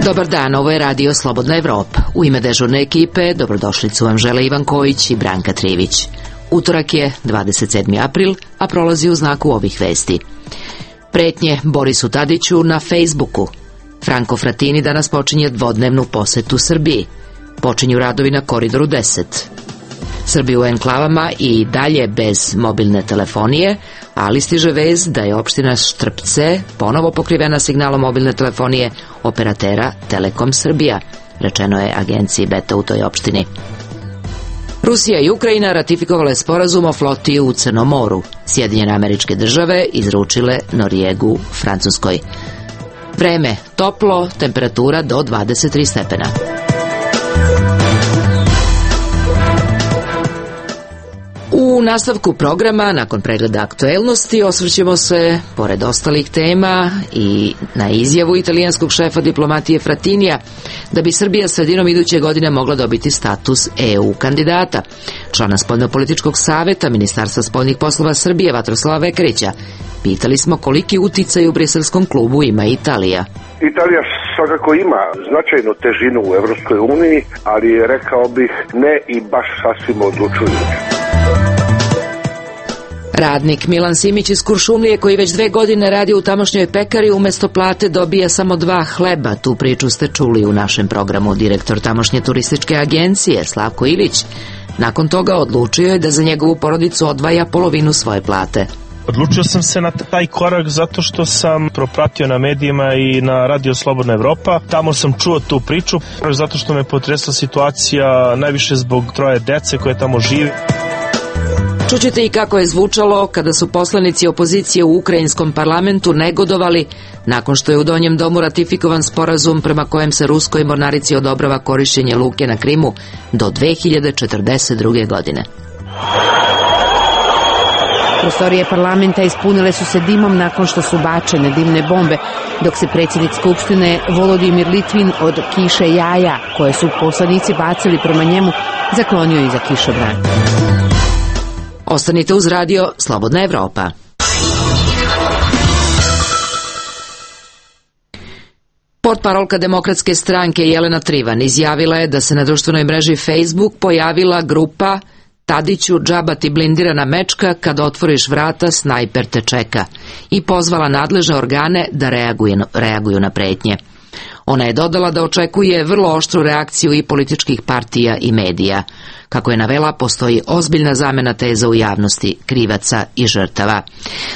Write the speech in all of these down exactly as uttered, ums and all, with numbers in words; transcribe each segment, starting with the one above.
Dobar dan, ovo je Radio Slobodna Evropa. U ime dežurne ekipe dobrodošlicu vam žele Ivan Kojić i Branka Trivić. Utorak je dvadeset sedmi april, a prolazi u znaku ovih vesti. Pretnje Borisu Tadiću na Facebooku. Franco Frattini danas počinje dvodnevnu posetu Srbiji. Počinju radovi na Koridoru deset. Srbi u enklavama i dalje bez mobilne telefonije, ali stiže vez da je opština Štrpce ponovo pokrivena signalom mobilne telefonije operatera Telekom Srbija, rečeno je agenciji Beta u toj opštini. Rusija i Ukrajina ratifikovale sporazum o floti u Crnom moru. Sjedinjene Američke Države izručile Norijegu Francuskoj. Vreme toplo, temperatura do dvadeset tri stepena. U nastavku programa, nakon pregleda aktuelnosti, osvrćemo se, pored ostalih tema, i na izjavu italijanskog šefa diplomatije Frattinija da bi Srbija sredinom iduće godine mogla dobiti status E U kandidata. Člana spoljnopolitičkog saveta Ministarstva spoljnih poslova Srbije Vatroslava Vekarića pitali smo koliki uticaj u briselskom klubu ima Italija. Italija svakako ima značajnu težinu u Evropskoj uniji, ali rekao bih ne i baš sasvim odlučujući. Radnik Milan Simić iz Kuršumlije, koji već dve godine radi u tamošnjoj pekari, umesto plate dobija samo dva hleba. Tu priču ste čuli u našem programu. Direktor tamošnje turističke agencije Slavko Ilić nakon toga odlučio je da za njegovu porodicu odvaja polovinu svoje plate. Odlučio sam se na taj korak zato što sam propratio na medijima i na Radio Slobodna Evropa. Tamo sam čuo tu priču, zato što me potresla situacija najviše zbog troje dece koje tamo žive. Čućete i kako je zvučalo kada su poslanici opozicije u ukrajinskom parlamentu negodovali nakon što je u Donjem domu ratifikovan sporazum prema kojem se ruskoj mornarici odobrava korišćenje luke na Krimu do dve hiljade četrdeset druge. godine. Prostorije parlamenta ispunile su se dimom nakon što su bačene dimne bombe, dok se predsjednik Skupštine Volodimir Litvin od kiše jaja, koje su poslanici bacili prema njemu, zaklonio iza kišobrana. Ostanite uz Radio Slobodna Evropa. Portparolka Demokratske stranke Jelena Trivan izjavila je da se na društvenoj mreži Facebook pojavila grupa Tadiću, džaba ti blindirana mečka, kad otvoriš vrata snajper te čeka, i pozvala nadležne organe da reaguju, reaguju na pretnje. Ona je dodala da očekuje vrlo oštru reakciju i političkih partija i medija. Kako je navela, postoji ozbiljna zamena teza u javnosti, krivaca i žrtava.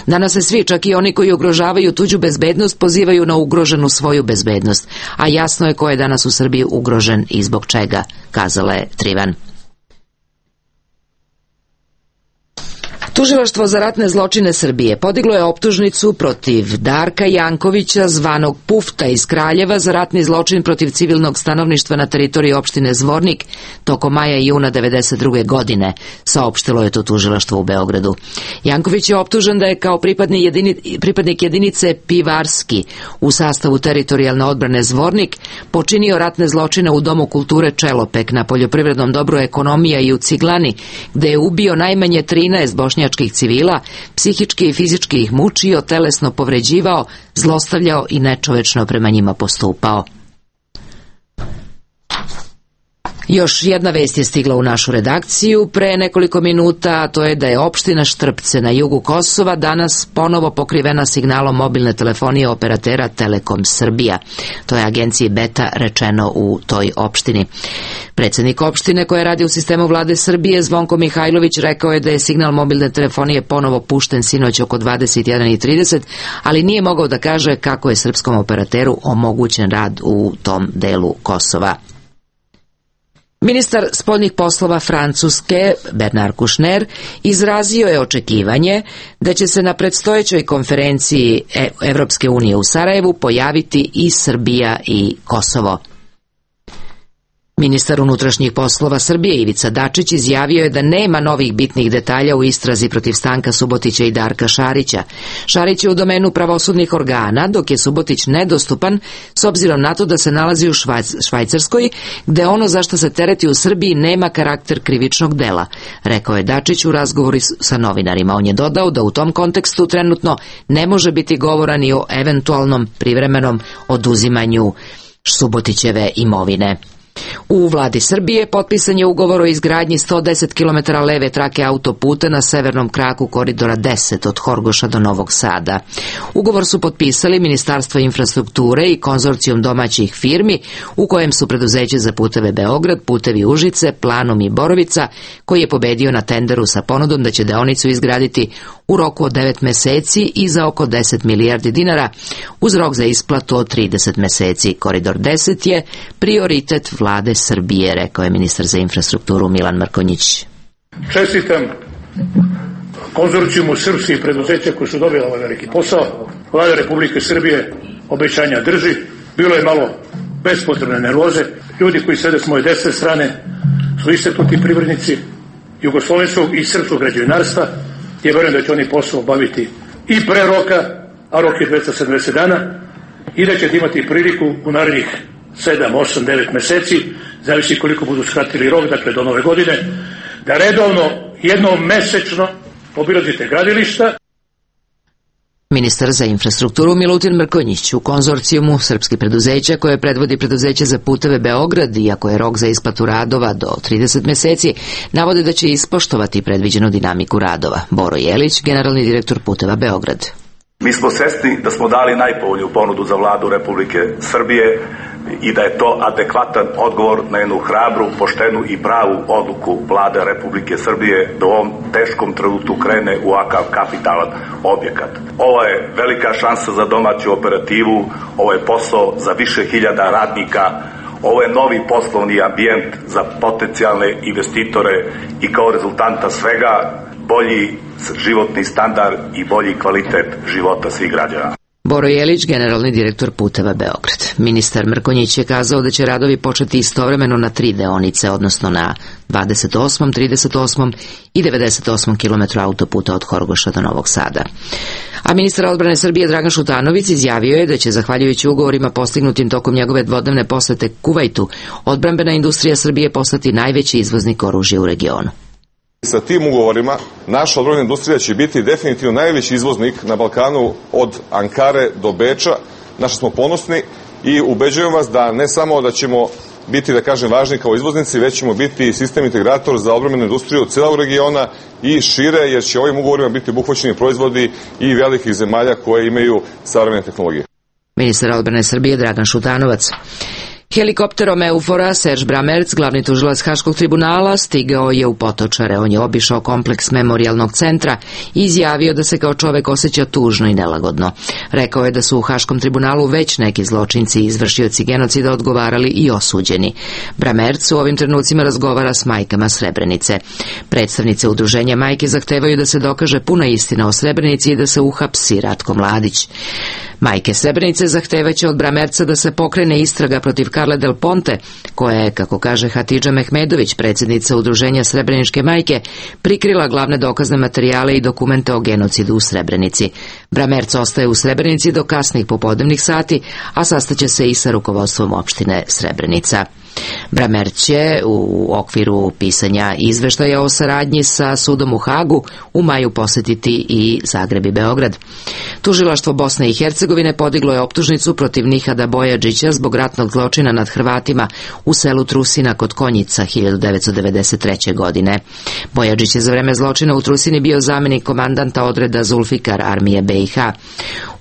Danas se svi, čak i oni koji ugrožavaju tuđu bezbednost, pozivaju na ugroženu svoju bezbednost, a jasno je ko je danas u Srbiji ugrožen i zbog čega, kazala je Trivan. Tužilaštvo za ratne zločine Srbije podiglo je optužnicu protiv Darka Jankovića, zvanog Pufta iz Kraljeva, za ratni zločin protiv civilnog stanovništva na teritoriji opštine Zvornik tokom maja i juna devedeset druge. godine, saopštilo je to tužilaštvo u Beogradu. Janković je optužen da je kao pripadnik, jedini, pripadnik jedinice Pivarski u sastavu teritorijalne odbrane Zvornik počinio ratne zločine u Domu kulture Čelopek, na poljoprivrednom dobru Ekonomija i u Ciglani, gde je ubio najmanje trinaest bošnjačkih civila, psihički i fizički ih mučio, telesno povređivao, zlostavljao i nečovečno prema njima postupao. Još jedna vest je stigla u našu redakciju pre nekoliko minuta, a to je da je opština Štrpce na jugu Kosova danas ponovo pokrivena signalom mobilne telefonije operatera Telekom Srbija. To je agenciji Beta rečeno u toj opštini. Predsjednik opštine, koja radi u sistemu vlade Srbije, Zvonko Mihajlović, rekao je da je signal mobilne telefonije ponovo pušten sinoć oko dvadeset jedan i trideset, ali nije mogao da kaže kako je srpskom operateru omogućen rad u tom delu Kosova. Ministar spoljnih poslova Francuske, Bernard Kouchner, izrazio je očekivanje da će se na predstojećoj konferenciji Evropske unije u Sarajevu pojaviti i Srbija i Kosovo. Ministar unutrašnjih poslova Srbije Ivica Dačić izjavio je da nema novih bitnih detalja u istrazi protiv Stanka Subotića i Darka Šarića. Šarić je u domenu pravosudnih organa, dok je Subotić nedostupan s obzirom na to da se nalazi u Švajcarskoj, gde ono za što se tereti u Srbiji nema karakter krivičnog dela, rekao je Dačić u razgovoru sa novinarima. On je dodao da u tom kontekstu trenutno ne može biti govora ni o eventualnom privremenom oduzimanju Subotićeve imovine. U vladi Srbije potpisan je ugovor o izgradnji sto deset kilometara leve trake autoputa na severnom kraku koridora deset od Horgoša do Novog Sada. Ugovor su potpisali Ministarstvo infrastrukture i konzorcijum domaćih firmi u kojem su preduzeće za puteve Beograd, putevi Užice, Planom i Borovica, koji je pobedio na tenderu sa ponudom da će deonicu izgraditi u roku od devet meseci i za oko deset milijardi dinara, uz rok za isplatu od trideset meseci. Koridor deset je prioritet vlade Srbije, rekao je ministar za infrastrukturu Milan Mrkonjić. Čestitam konzorcijumu srpskih preduzeća koji su dobili ovaj veliki posao. Vlada Republike Srbije obećanja drži. Bilo je malo bespotrebne nervoze. Ljudi koji sede s moje desne strane su istaknuti privrednici jugoslovenskog i srpskog građevinarstva. Ja verujem da će oni posao obaviti i pre roka, a rok je dvesta sedamdeset dana, i da ćete imati priliku u narednih sedam, osam, devet meseci, zavisi koliko budu skratili rok, dakle do nove godine, da redovno, jednom mesečno obilazite gradilišta. Ministar za infrastrukturu Milutin Mrkonjić u konzorcijumu srpskih preduzeća koje predvodi preduzeće za puteve Beograd, iako je rok za isplatu radova do trideset meseci, navode da će ispoštovati predviđenu dinamiku radova. Boro Jelić, generalni direktor puteva Beograd. Mi smo svesni da smo dali najpovoljniju ponudu za vladu Republike Srbije i da je to adekvatan odgovor na jednu hrabru, poštenu i pravu odluku vlade Republike Srbije da u ovom teškom trenutku krene u ovakav kapitalan objekat. Ovo je velika šansa za domaću operativu, ovo je posao za više hiljada radnika, ovo je novi poslovni ambijent za potencijalne investitore i kao rezultanta svega bolji životni standard i bolji kvalitet života svih građana. Boro Jelić, generalni direktor puteva Beograd. Ministar Mrkonjić je kazao da će radovi početi istovremeno na tri deonice, odnosno na dvadeset osmom, trideset osmom i devedeset osmom kilometru autoputa od Horgoša do Novog Sada. A ministar odbrane Srbije Dragan Šutanović izjavio je da će, zahvaljujući ugovorima postignutim tokom njegove dvodnevne posete Kuvajtu, odbrambena industrija Srbije postati najveći izvoznik oružja u regionu. Sa tim ugovorima naša odbrambena industrija će biti definitivno najveći izvoznik na Balkanu od Ankare do Beča. Naši smo ponosni i ubeđujem vas da ne samo da ćemo biti, da kažem, važni kao izvoznici, već ćemo biti sistem integrator za odbrambenu industriju celog regiona i šire, jer će ovim ugovorima biti obuhvaćeni proizvodi i velikih zemalja koje imaju savremene tehnologije. Ministar odbrane Srbije Dragan Šutanovac. Helikopterom Eufora Serge Bramerc, glavni tužilac Haškog tribunala, stigao je u Potočare. On je obišao kompleks memorijalnog centra i izjavio da se kao čovek osjeća tužno i nelagodno. Rekao je da su u Haškom tribunalu već neki zločinci i izvršioci genocida odgovarali i osuđeni. Bramerc u ovim trenucima razgovara s majkama Srebrenice. Predstavnice udruženja majke zahtevaju da se dokaže puna istina o Srebrenici i da se uhapsi Ratko Mladić. Majke Srebrenice zahtevaće od Bramerca da se pokrene istraga protiv Karle Del Ponte, koja je, kako kaže Hatidža Mehmedović, predsjednica udruženja Srebreničke majke, prikrila glavne dokazne materijale i dokumente o genocidu u Srebrenici. Bramerc ostaje u Srebrenici do kasnih popodnevnih sati, a sastaće se i sa rukovodstvom opštine Srebrenica. Bramerc će u okviru pisanja izveštaja o saradnji sa sudom u Hagu u maju posjetiti i Zagreb i Beograd. Tužilaštvo Bosne i Hercegovine podiglo je optužnicu protiv Nihada Bojađića zbog ratnog zločina nad Hrvatima u selu Trusina kod Konjica hiljadu devetsto devedeset treće. godine. Bojađić je za vreme zločina u Trusini bio zamenik komandanta odreda Zulfikar armije B i H.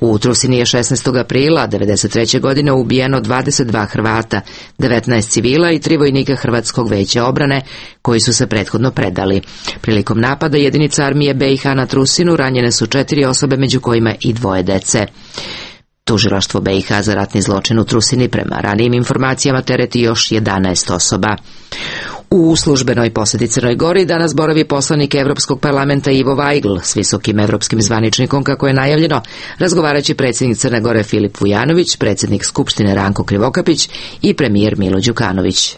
U Trusini je šesnaestog aprila devedeset treće. godine ubijeno dvadeset dva Hrvata, devetnaest civila i tri vojnika Hrvatskog veća obrane koji su se prethodno predali. Prilikom napada jedinica armije B i H na Trusinu ranjene su četiri osobe, među kojima i dvoje dece. Tužilaštvo B i H za ratni zločin u Trusini prema ranijim informacijama tereti još jedanaest osoba. U službenoj poseti Crnoj Gori danas boravi poslanik Evropskog parlamenta Ivo Vajgl s visokim evropskim zvaničnikom, kako je najavljeno, razgovarajući predsjednik Crne Gore Filip Vujanović, predsjednik Skupštine Ranko Krivokapić i premijer Milo Đukanović.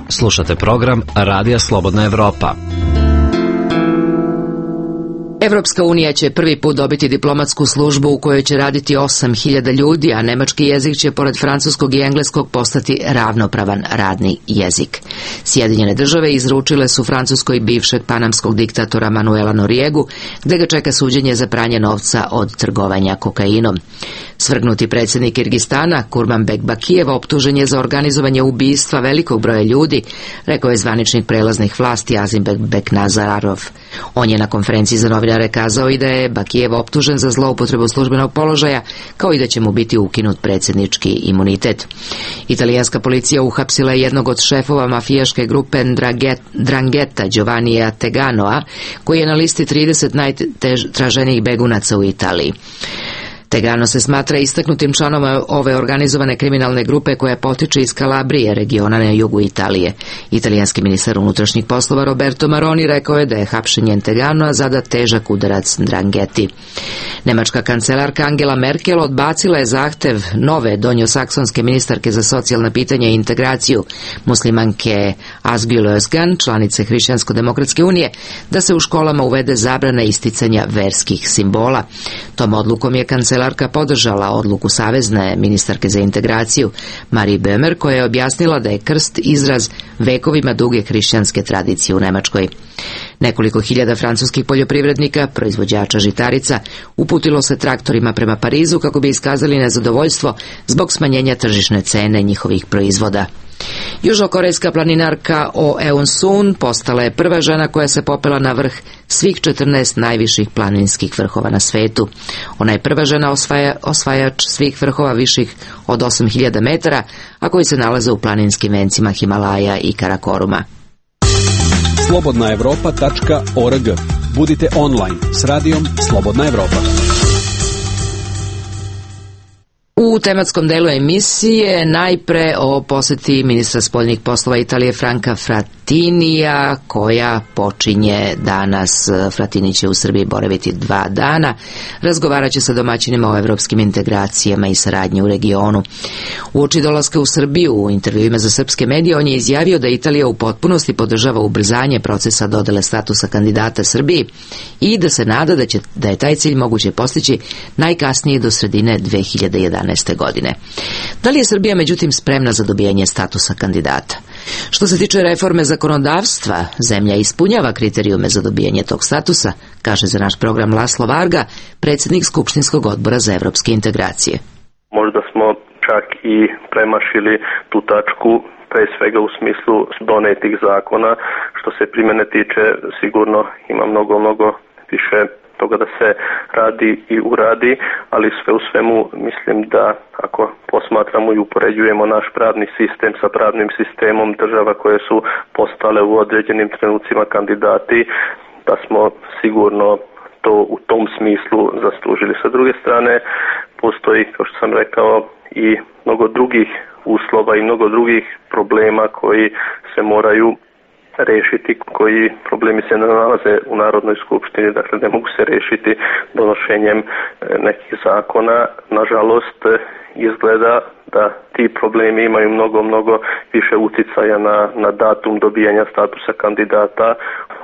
Slušate program Radija Slobodna Evropa. Evropska unija će prvi put dobiti diplomatsku službu u kojoj će raditi osam hiljada ljudi, a nemački jezik će pored francuskog i engleskog postati ravnopravan radni jezik. Sjedinjene države izručile su Francuskoj bivšeg panamskog diktatora Manuela Noriegu, gde ga čeka suđenje za pranje novca od trgovanja kokainom. Svrgnuti predsjednik Kirgistana, Kurmanbek Bakijev, optužen je za organizovanje ubistva velikog broja ljudi, rekao je zvaničnik prelaznih vlasti Azimbek Beknazarov. On je na konferenciji za novinare kazao i da je Bakijev optužen za zloupotrebu službenog položaja, kao i da će mu biti ukinut predsjednički imunitet. Italijanska policija uhapsila je jednog od šefova mafijaške grupe Drangheta, Giovannija Teganoa, koji je na listi trideset najtraženijih begunaca u Italiji. Tegano se smatra istaknutim članom ove organizovane kriminalne grupe koja potiče iz Kalabrije, regiona na jugu Italije. Italijanski ministar unutrašnjih poslova Roberto Maroni rekao je da je hapšenjem Teganoa zada težak udarac Drangheti. Nemačka kancelarka Angela Merkel odbacila je zahtev nove donjosaksonske ministarke za socijalna pitanja i integraciju, muslimanke Asbjørn Østgan, članice Hrišćansko-demokratske unije, da se u školama uvede zabrana isticanja verskih simbola. Tom odlukom je kancelarka Kancelarka podržala odluku savezne ministarke za integraciju Marie Böhmer, koja je objasnila da je krst izraz vekovima duge hrišćanske tradicije u Nemačkoj. Nekoliko hiljada francuskih poljoprivrednika, proizvođača žitarica, uputilo se traktorima prema Parizu kako bi iskazali nezadovoljstvo zbog smanjenja tržišne cene njihovih proizvoda. Južnokorejska planinarka Oh Eun-sun postala je prva žena koja se popela na vrh svih četrnaest najviših planinskih vrhova na svetu. Ona je prva žena osvaja, osvajač svih vrhova viših od osam hiljada metara, a koji se nalaze u planinskim vencima Himalaja i Karakoruma. slobodna evropa tačka org. Budite online s radijom Slobodna Evropa. U tematskom delu emisije najpre o poseti ministra spoljnih poslova Italije Franka Frattinija, koja počinje danas. Frattini će u Srbiji boraviti dva dana. Razgovarat će sa domaćinima o evropskim integracijama i saradnji u regionu. Uoči dolaska u Srbiju, u intervjuima za srpske medije, on je izjavio da Italija u potpunosti podržava ubrzanje procesa dodele statusa kandidata Srbiji i da se nada da, će, da je taj cilj moguće postići najkasnije do sredine dve hiljade jedanaeste. godine. Da li je Srbija međutim spremna za dobijanje statusa kandidata? Što se tiče reforme zakonodavstva, zemlja ispunjava kriterijume za dobijanje tog statusa, kaže za naš program Laslo Varga, predsjednik Skupštinskog odbora za evropske integracije. Možda smo čak i premašili tu tačku, pre svega u smislu donetih zakona. Što se primjene tiče, sigurno ima mnogo, mnogo više toga da se radi i uradi, ali sve u svemu mislim da ako posmatramo i upoređujemo naš pravni sistem sa pravnim sistemom država koje su postale u određenim trenucima kandidati, da smo sigurno to u tom smislu zaslužili. Sa druge strane, postoji, kao što sam rekao, i mnogo drugih uslova i mnogo drugih problema koji se moraju rešiti, koji problemi se ne nalaze u Narodnoj skupštini, dakle ne mogu se rešiti donošenjem nekih zakona. Nažalost, izgleda da ti problemi imaju mnogo, mnogo više uticaja na, na datum dobijanja statusa kandidata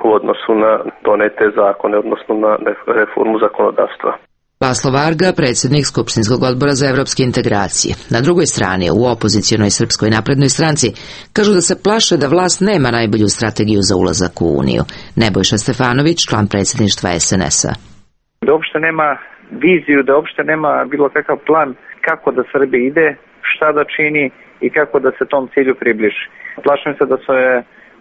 u odnosu na donete zakone, odnosno na reformu zakonodavstva. Laslo Varga, predsjednik Skupštinskog odbora za evropske integracije. Na drugoj strani, u opozicionoj Srpskoj naprednoj stranci, kažu da se plaše da vlast nema najbolju strategiju za ulazak u Uniju. Nebojša Stefanović, član predsjedništva es en es a. Da uopšte nema viziju, da uopšte nema bilo kakav plan kako da Srbija ide, šta da čini i kako da se tom cilju približi. Plašim se da se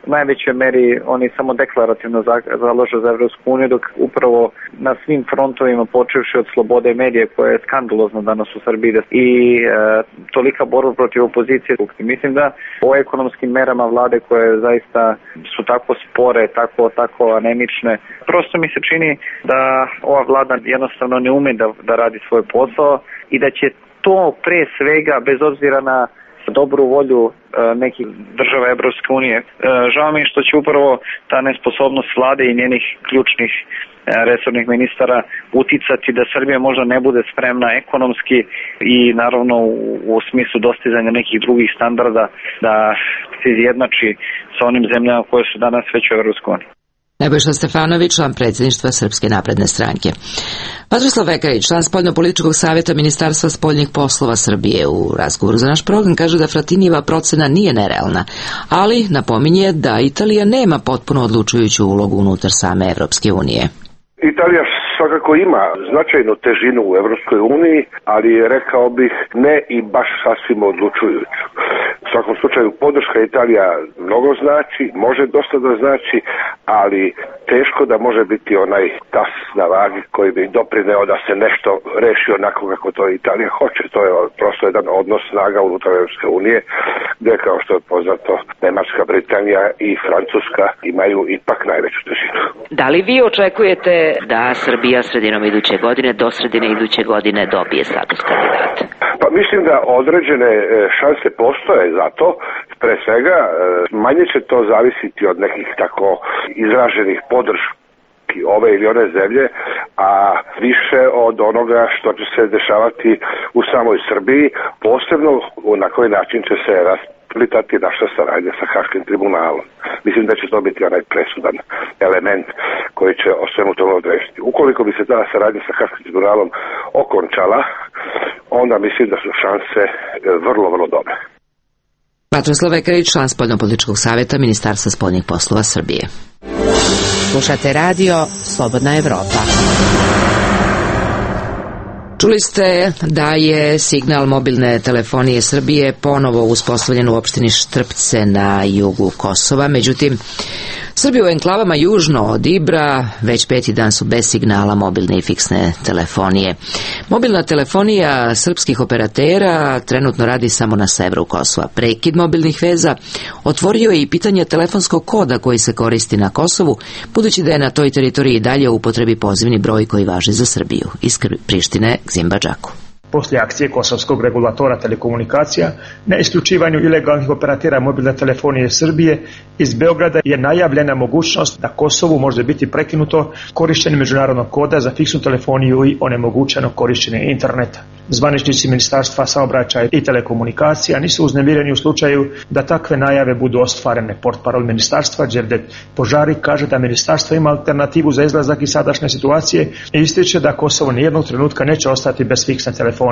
u najvećoj meri oni samo deklarativno zalažu za Evropsku uniju, dok upravo na svim frontovima, počevši od slobode medije, koja je skandalozna danas u Srbiji, i e, tolika borba protiv opozicije. Mislim da o ekonomskim merama vlade koje zaista su tako spore, tako, tako anemične, prosto mi se čini da ova vlada jednostavno ne ume da, da radi svoj posao i da će to pre svega, bez obzira na dobru volju e, nekih država Evropske unije. E, žao mi je što će upravo ta nesposobnost vlade i njenih ključnih e, resornih ministara uticati da Srbija možda ne bude spremna ekonomski i naravno u, u smislu dostizanja nekih drugih standarda da se izjednači sa onim zemljama koje su danas već u Evropskoj uniji. Nebojša Stefanović, član predsjedništva Srpske napredne stranke. Vatroslav Vekarić, član spoljno-političkog savjeta Ministarstva spoljnih poslova Srbije, u razgovoru za naš program kaže da Fratinijeva procena nije nerealna, ali napominje da Italija nema potpuno odlučujuću ulogu unutar same Evropske unije. Italija svakako ima značajnu težinu u Evropskoj uniji, ali rekao bih ne i baš sasvim odlučujuću. U svakom slučaju podrška Italija mnogo znači, može dosta da znači, ali teško da može biti onaj tas na vagi koji bi doprineo da se nešto reši onako kako to Italija hoće. To je prosto jedan odnos snaga unutar Evropske unije, gdje kao što je poznato Nemačka, Britanija i Francuska imaju ipak najveću težinu. Da li vi očekujete da Srbija sredinom iduće godine, do sredine iduće godine dobije status kandidata? Pa mislim da određene šanse postoje za to. Pre svega manje će to zavisiti od nekih tako izraženih podrški ove ili one zemlje, a više od onoga što će se dešavati u samoj Srbiji, posebno na koji način će se rasplitati naša saradnja sa Haškim tribunalom. Mislim da će to biti onaj presudan element koji će o svemu tome odrešiti. Ukoliko bi se ta saradnja sa Haškim tribunalom okončala, onda mislim da su šanse vrlo, vrlo dobre. Vatroslav Vekarić, član spoljno-političkog savjeta Ministarstva spoljnih poslova Srbije. Slušate radio Slobodna Evropa. Čuli ste da je signal mobilne telefonije Srbije ponovo uspostavljen u opštini Štrpce na jugu Kosova, međutim Srbi u enklavama južno od Ibra već peti dan su bez signala mobilne i fiksne telefonije. Mobilna telefonija srpskih operatera trenutno radi samo na severu Kosova. Prekid mobilnih veza otvorio je i pitanje telefonskog koda koji se koristi na Kosovu, budući da je na toj teritoriji dalje u upotrebi pozivni broj koji važi za Srbiju. Iz Prištine, Gzimba Džaku. Poslije akcije Kosovskog regulatora telekomunikacija na isključivanju ilegalnih operatera mobilne telefonije Srbije, iz Beograda je najavljena mogućnost da Kosovu može biti prekinuto korištenje međunarodnog koda za fiksnu telefoniju i onemogućeno korištenje interneta. Zvaničnici Ministarstva saobraćaja i telekomunikacija nisu uznemireni u slučaju da takve najave budu ostvarene. Portparol ministarstva Đevdet Požari kaže da ministarstvo ima alternativu za izlazak iz sadašnje situacije i ističe da Kosovo nijednog trenutka neće ostati bez fiksne telefonije.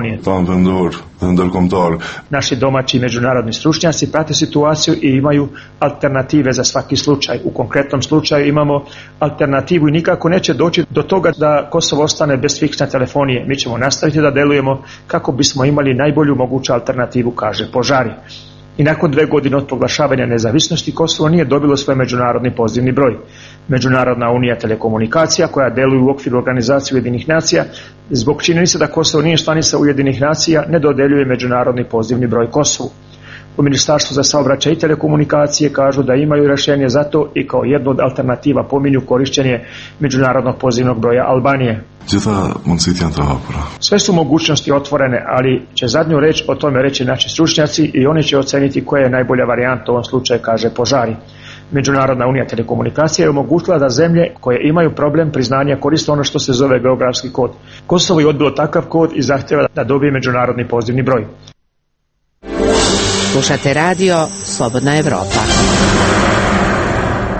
Naši domaći i međunarodni stručnjaci prate situaciju i imaju alternative za svaki slučaj. U konkretnom slučaju imamo alternativu i nikako neće doći do toga da Kosovo ostane bez fiksne telefonije. Mi ćemo nastaviti da delujemo kako bismo imali najbolju moguću alternativu, kaže Požari. I nakon dve godine od proglašavanja nezavisnosti Kosovo nije dobilo svoj međunarodni pozivni broj. Međunarodna unija telekomunikacija koja deluje u okviru organizacije Ujedinih nacija, zbog činjenice da Kosovo nije članica Ujedinih nacija, ne dodeljuje međunarodni pozivni broj Kosovu. U Ministarstvu za saobraćaj i telekomunikacije kažu da imaju rješenje za to i kao jednu od alternativa pominju korištenje međunarodnog pozivnog broja Albanije. Sve su mogućnosti otvorene, ali će zadnju reč o tome reći naši stručnjaci i oni će oceniti koja je najbolja varijanta u ovom slučaju, kaže Požari. Međunarodna unija telekomunikacija je omogućila da zemlje koje imaju problem priznanja koriste ono što se zove geografski kod. Kosovo je odbilo takav kod i zahtjeva da dobije međunarodni pozivni broj. Slušate radio Slobodna Evropa.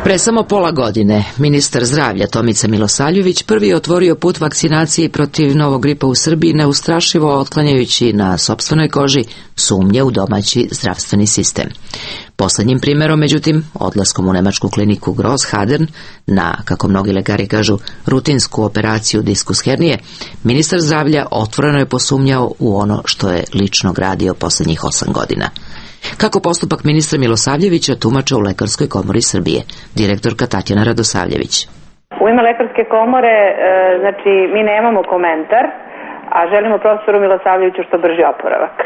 Pre samo pola godine ministar zdravlja Tomica Milosavljević prvi je otvorio put vakcinaciji protiv novog gripa u Srbiji, neustrašivo otklanjajući na sopstvenoj koži sumnje u domaći zdravstveni sistem. Poslednjim primjerom, međutim, odlaskom u nemačku kliniku Großhadern na, kako mnogi lekari kažu, rutinsku operaciju diskus hernije, ministar zdravlja otvoreno je posumnjao u ono što je lično gradio poslednjih osam godina. Kako postupak ministra Milosavljevića tumače u Lekarskoj komori Srbije, direktorka Tatjana Radosavljević. U ime Lekarske komore, znači, mi nemamo komentar, a želimo profesoru Milosavljeviću što brži oporavak.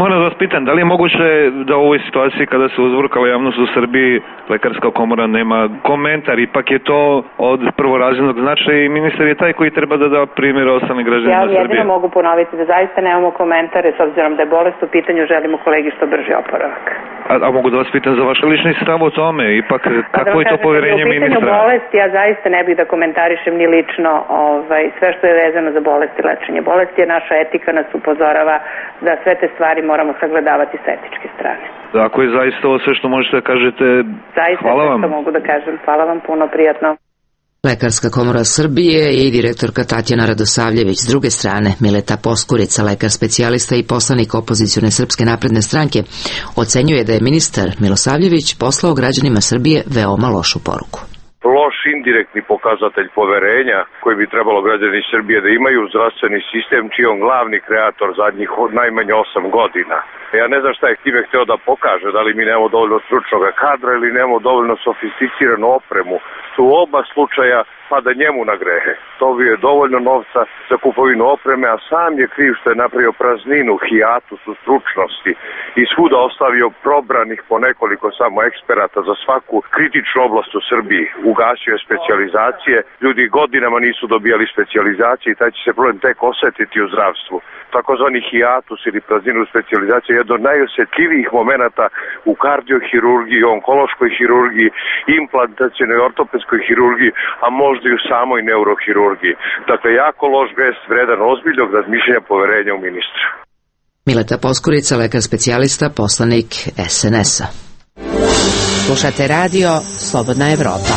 Moram da vas pitam, da li je moguće da u ovoj situaciji kada se uzburkala javnost u Srbiji Lekarska komora nema komentar, ipak je to od prvorazrednog značaja i ministar je taj koji treba da da primjer ostalim građanima Srbije. Ja jedino mogu ponoviti da zaista nemamo komentare, s obzirom da je bolest u pitanju, želimo kolegi što brži oporavak. A, a mogu da vas pitam za vaš lični stav o tome, ipak kako je to poverenje ministra? U pitanju bolesti ja zaista ne bih da komentarišem ni lično ovaj, sve što je vezano za bolest i lečenje. Bolest je naša etika, nas upozorava da sve te stvari stvari moramo sagledavati sa etičke strane. Ako je zaista ovo sve što možete da kažete, zaista hvala vam. Zaista mogu da kažem. Hvala vam puno, prijatno. Lekarska komora Srbije i direktorka Tatjana Radosavljević. S druge strane, Mileta Poskurica, lekar specijalista i poslanik opozicione Srpske napredne stranke, ocenjuje da je ministar Milosavljević poslao građanima Srbije veoma lošu poruku. Loš indirektni pokazatelj poverenja koji bi trebalo građani Srbije da imaju u zdravstveni sistem, čiji on glavni kreator zadnjih najmanje osam godina. Ja ne znam šta je time hteo da pokaže, da li mi nemamo dovoljno stručnog kadra ili nemamo dovoljno sofisticiranu opremu. U oba slučaja pada njemu na grehe. To bi je dovoljno novca za kupovinu opreme, a sam je kriv što je napravio prazninu, hijatus u stručnosti i svuda ostavio probranih po nekoliko samo eksperata za svaku kritičnu oblast u Srbiji. Ugasio je specijalizacije, ljudi godinama nisu dobijali specijalizacije i taj će se problem tek osetiti u zdravstvu. Takozvani hijatus ili prazninu specijalizacije je jedan od najosjetljivijih momenata u kardiohirurgiji, onkološkoj hirurgiji, implantacionoj ortopedskoj hirurgiji, a možda i u samoj neurohirurgiji. Dakle, jako loš gest, vredan ozbiljnog razmišljanja poverenja u ministra. Mileta Poskurica, lekar specijalista, poslanik es en es-a. Slušate radio Slobodna Evropa.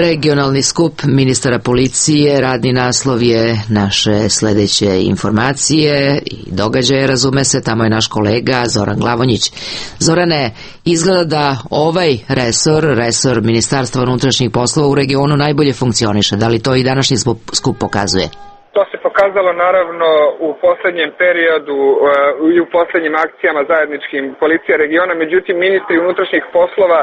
Regionalni skup ministara policije, radni naslov je naše sledeće informacije i događaje, razume se, tamo je naš kolega Zoran Glavonjić. Zorane, izgleda da ovaj resor, resor Ministarstva unutrašnjih poslova u regionu najbolje funkcioniše. Da li to i današnji skup pokazuje? To se pokazalo naravno u poslednjem periodu i u poslednjim akcijama zajedničkim policija regiona, međutim ministri unutrašnjih poslova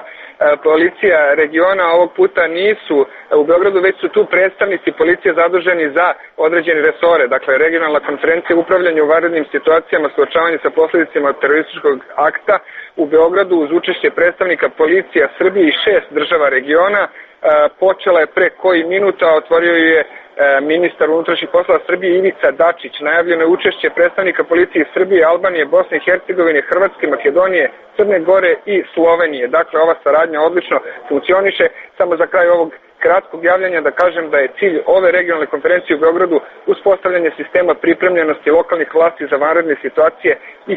policija regiona ovog puta nisu u Beogradu, već su tu predstavnici policije zaduženi za određene resore, dakle regionalna konferencija upravljanja u vanrednim situacijama, suočavanje sa posledicama terorističkog akta u Beogradu uz učešće predstavnika policija Srbije i šest država regiona počela je pre koji minuta, otvorio je ministar unutrašnjih poslova Srbije Ivica Dačić. Najavljeno je učešće predstavnika policije Srbije, Albanije, Bosne i Hercegovine, Hrvatske, Makedonije, Crne Gore i Slovenije. Dakle, ova saradnja odlično funkcioniše. Samo za kraj ovog kratkog javljanja da kažem da je cilj ove regionalne konferencije u Beogradu uspostavljanje sistema pripremljenosti lokalnih vlasti za vanredne situacije i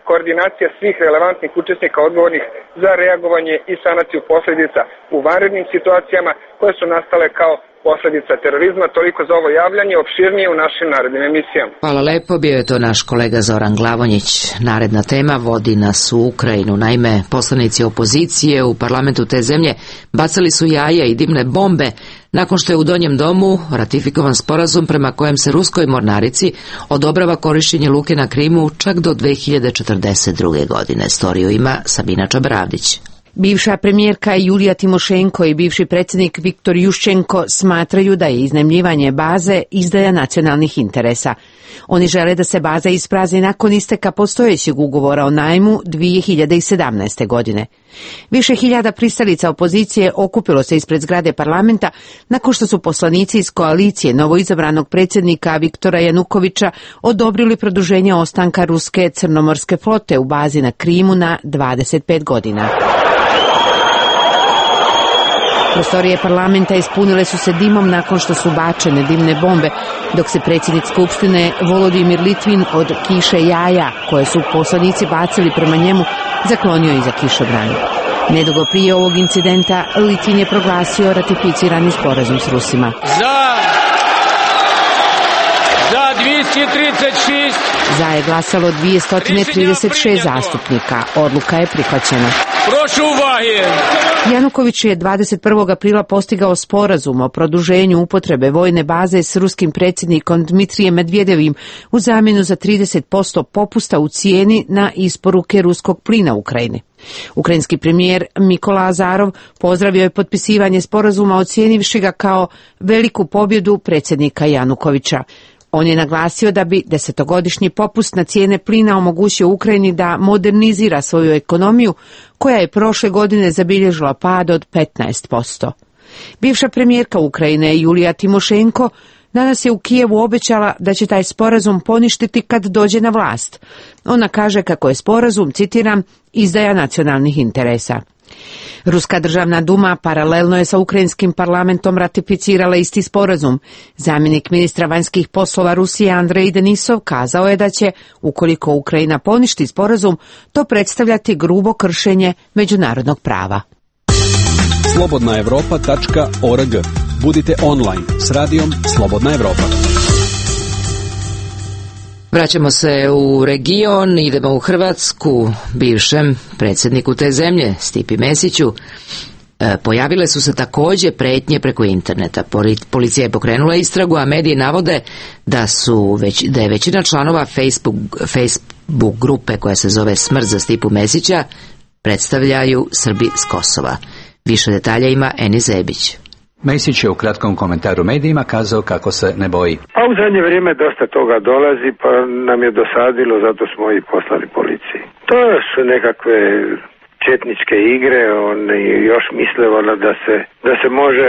koordinacija svih relevantnih učesnika odgovornih za reagovanje i sanaciju posledica u vanrednim situacijama koje su nastale kao posledica terorizma. Toliko za ovo javljanje, opširnije u našim narednim emisijama. Hvala lepo, bio je to naš kolega Zoran Glavonjić. Naredna tema vodi nas u Ukrajinu. Naime, poslanici opozicije u parlamentu te zemlje bacali su jaja i dimne bombe nakon što je u Donjem domu ratifikovan sporazum prema kojem se ruskoj mornarici odobrava korišćenje luke na Krimu čak do dve hiljade četrdeset druge. godine. Storiju ima Sabina Čabravdić. Bivša premijerka Julija Timošenko i bivši predsjednik Viktor Juščenko smatraju da je iznajmljivanje baze izdaja nacionalnih interesa. Oni žele da se baza isprazni nakon isteka postojećeg ugovora o najmu dve hiljade sedamnaeste. godine. Više hiljada pristalica opozicije okupilo se ispred zgrade parlamenta nakon što su poslanici iz koalicije novoizabranog predsjednika Viktora Janukovića odobrili produženje ostanka ruske crnomorske flote u bazi na Krimu na dvadeset pet godina. Prostorije parlamenta ispunile su se dimom nakon što su bačene dimne bombe, dok se predsjednik Skupštine Volodimir Litvin od kiše jaja, koje su poslanici bacili prema njemu, zaklonio iza kišobrana. Nedugo prije ovog incidenta Litvin je proglasio ratificirani sporazum s Rusima. Za! Za dvjesto trideset šest! Za je glasalo dvjesto trideset šest zastupnika. Odluka je prihvaćena. Prošu uvage! Januković je dvadeset prvog aprila postigao sporazum o produženju upotrebe vojne baze s ruskim predsjednikom Dmitrijem Medvedevim u zamjenu za trideset posto popusta u cijeni na isporuke ruskog plina u Ukrajini. Ukrajinski premijer Mikola Azarov pozdravio je potpisivanje sporazuma ocijenivši ga kao veliku pobjedu predsjednika Janukovića. On je naglasio da bi desetogodišnji popust na cijene plina omogućio Ukrajini da modernizira svoju ekonomiju, koja je prošle godine zabilježila pad od petnaest posto. Bivša premijerka Ukrajine Julija Timošenko danas je u Kijevu obećala da će taj sporazum poništiti kad dođe na vlast. Ona kaže kako je sporazum, citiram, izdaja nacionalnih interesa. Ruska državna duma paralelno je sa ukrajinskim parlamentom ratificirala isti sporazum. Zamjenik ministra vanjskih poslova Rusije Andrej Denisov kazao je da će, ukoliko Ukrajina poništi sporazum, to predstavljati grubo kršenje međunarodnog prava. slobodna evropa tačka org. Budite online s radijom Slobodna Evropa. Vraćamo se u region, idemo u Hrvatsku. Bivšem predsjedniku te zemlje, Stipi Mesiću, e, pojavile su se također pretnje preko interneta. Policija je pokrenula istragu, a mediji navode da su već, da je većina članova Facebook, Facebook grupe koja se zove Smrt za Stipu Mesića predstavljaju Srbi s Kosova. Više detalja ima Eni Zebić. Mesić je u kratkom komentaru medijima kazao kako se ne boji. A u zadnje vrijeme dosta toga dolazi, pa nam je dosadilo, zato smo i poslali policiji. To su nekakve četničke igre, oni još misle da se, da se može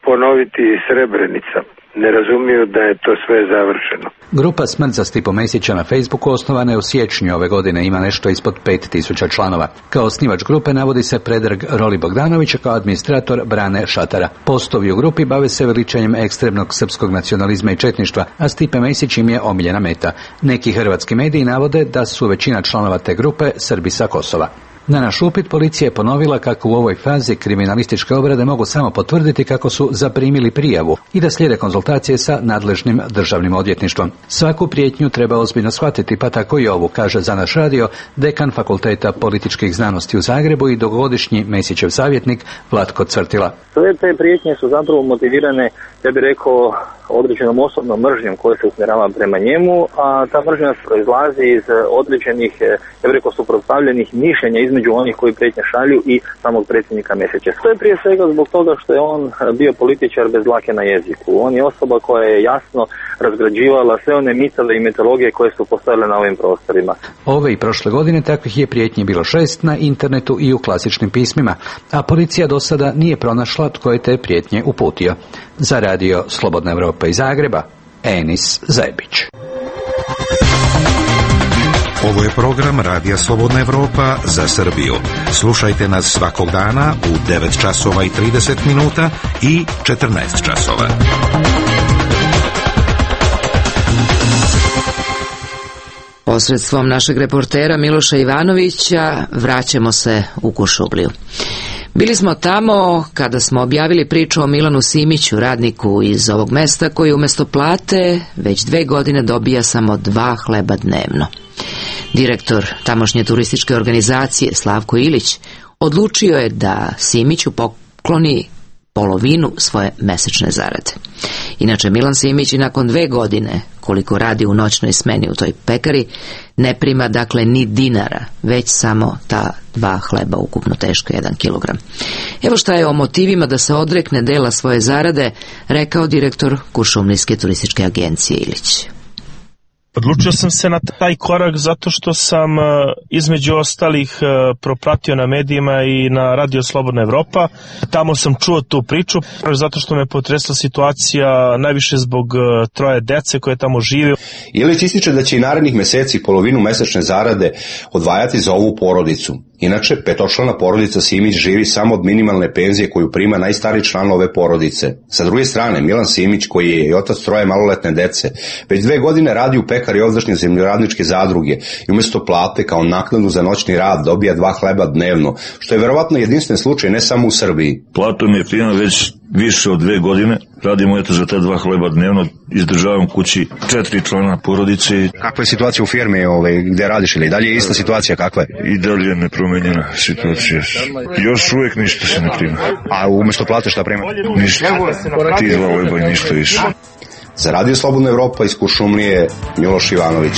ponoviti Srebrenica. Ne razumiju da je to sve završeno. Grupa Smrt za Stipu Mesića na Facebooku osnovana je u siječnju ove godine, ima nešto ispod pet tisuća članova. Kao osnivač grupe navodi se Predrag Roli Bogdanović, kao administrator Brane Šatara. Postovi u grupi bave se veličanjem ekstremnog srpskog nacionalizma i četništva, a Stipe Mesić im je omiljena meta. Neki hrvatski mediji navode da su većina članova te grupe Srbi sa Kosova. Na naš upit policija je ponovila kako u ovoj fazi kriminalističke obrade mogu samo potvrditi kako su zaprimili prijavu i da slijede konzultacije sa nadležnim državnim odvjetništvom. Svaku prijetnju treba ozbiljno shvatiti, pa tako i ovu, kaže za naš radio dekan Fakulteta političkih znanosti u Zagrebu i dugogodišnji Mesićev savjetnik Vlatko Cvrtila. Sve te prijetnje su zapravo motivirane, ja bih rekao, određenom osobnom mržnjom koja se usmjerava prema njemu, a ta mržnja proizlazi iz određenih, ja bih rekao, suprotstavljenih mišljenja između onih koji prijetnje šalju i samog predsjednika Mesića. To je prije svega zbog toga što je on bio političar bez dlake na jeziku. On je osoba koja je jasno razgrađivala sve one mitove i mitologije koje su postojale na ovim prostorima. Ove i prošle godine takvih je prijetnji bilo šest na internetu i u klasičnim pismima, a policija do sada nije pronašla tko je te prijetnje uputio. Za radio Slobodna Evropa iz Zagreba, Enis Zebić. Ovo je program Radija Slobodna Evropa za Srbiju. Slušajte nas svakog dana u devet časova i trideset minuta i četrnaest časova. Posredstvom našeg reportera Miloša Ivanovića vraćamo se u Kuršumliju. Bili smo tamo kada smo objavili priču o Milanu Simiću, radniku iz ovog mesta koji umjesto plate već dve godine dobija samo dva hleba dnevno. Direktor tamošnje turističke organizacije Slavko Ilić odlučio je da Simiću pokloni polovinu svoje mesečne zarade. Inače, Milan Simić i nakon dve godine, koliko radi u noćnoj smeni u toj pekari, ne prima dakle ni dinara, već samo ta dva hleba, ukupno teško jedan kilogram. Evo šta je o motivima da se odrekne dela svoje zarade rekao direktor Kuršumlijske turističke agencije Ilić. Odlučio sam se na taj korak zato što sam između ostalih propratio na medijima i na radio Slobodna Evropa. Tamo sam čuo tu priču zato što me potresla situacija najviše zbog troje dece koje tamo žive. Ilić ističe da će i narednih meseci polovinu mesečne zarade odvajati za ovu porodicu. Inače, petočlana porodica Simić živi samo od minimalne penzije koju prima najstariji član ove porodice. Sa druge strane, Milan Simić, koji je i otac troje maloletne dece, već dve godine radi u pekari ovdašnje zemljoradničke zadruge i umjesto plate kao naknadu za noćni rad dobija dva hleba dnevno, što je verovatno jedinstven slučaj ne samo u Srbiji. Platu mi je primam već više od dve godine, radimo eto za te dva hleba dnevno, izdržavam kući četiri člana porodice. Kakva je situacija u firmi ovaj, gde radiš ili dalje je ista situacija kakva je? I dalje je nepromenjena situacija. Još uvijek ništa se ne prima. A umjesto plate šta prima? Ništa. Ti dva hleba i ništa više. Za Radio Slobodna Evropa iz Kuršumlije, Miloš Ivanović.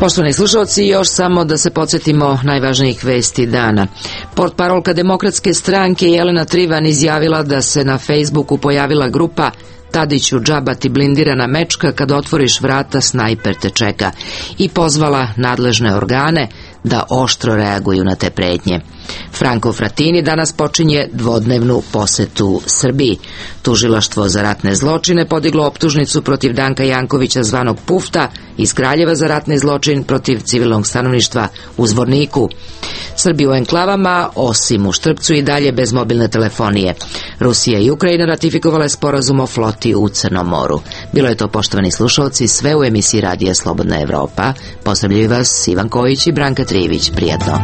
Poštovani slušalci, još samo da se podsjetimo najvažnijih vesti dana. Portparolka Demokratske stranke Jelena Trivan izjavila da se na Facebooku pojavila grupa Tadiću džaba ti blindirana mečka, kad otvoriš vrata snajper te čeka, i pozvala nadležne organe da oštro reaguju na te pretnje. Franco Frattini danas počinje dvodnevnu posetu Srbiji. Tužilaštvo za ratne zločine podiglo optužnicu protiv Danka Jankovića zvanog Pufta iz Kraljeva za ratni zločin protiv civilnog stanovništva u Zvorniku. Srbi u enklavama, osim u Štrpcu, i dalje bez mobilne telefonije. Rusija i Ukrajina ratifikovale sporazum o floti u Crnom moru. Bilo je to, poštovani slušalci, sve u emisiji Radija Slobodna Evropa. Pozdravljaju vas Ivan Kojić i Branka Trijević. Prijatno.